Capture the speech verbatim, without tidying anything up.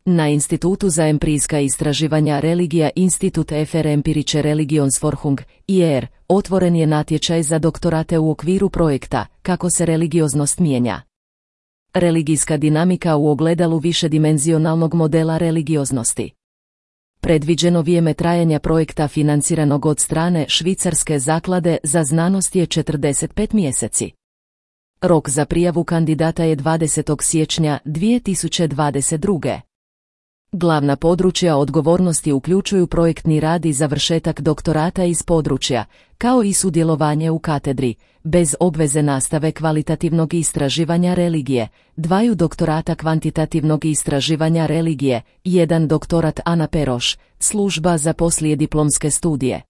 Na Institutu za empirijska istraživanja religija Institut für empirische Religionsforschung, I E R, otvoren je natječaj za doktorate u okviru projekta Kako se religioznost mijenja. Religijska dinamika u ogledalu višedimenzionalnog modela religioznosti. Predviđeno vrijeme trajanja projekta financiranog od strane Švicarske zaklade za znanost je četrdeset pet mjeseci. Rok za prijavu kandidata je dvadesetog siječnja dvije tisuće dvadeset druge. Glavna područja odgovornosti uključuju projektni rad i završetak doktorata iz područja, kao i sudjelovanje u katedri, bez obveze nastave kvalitativnog istraživanja religije, dvaju doktorata kvantitativnog istraživanja religije, jedan doktorat Ana Peroš, služba za poslijediplomske studije.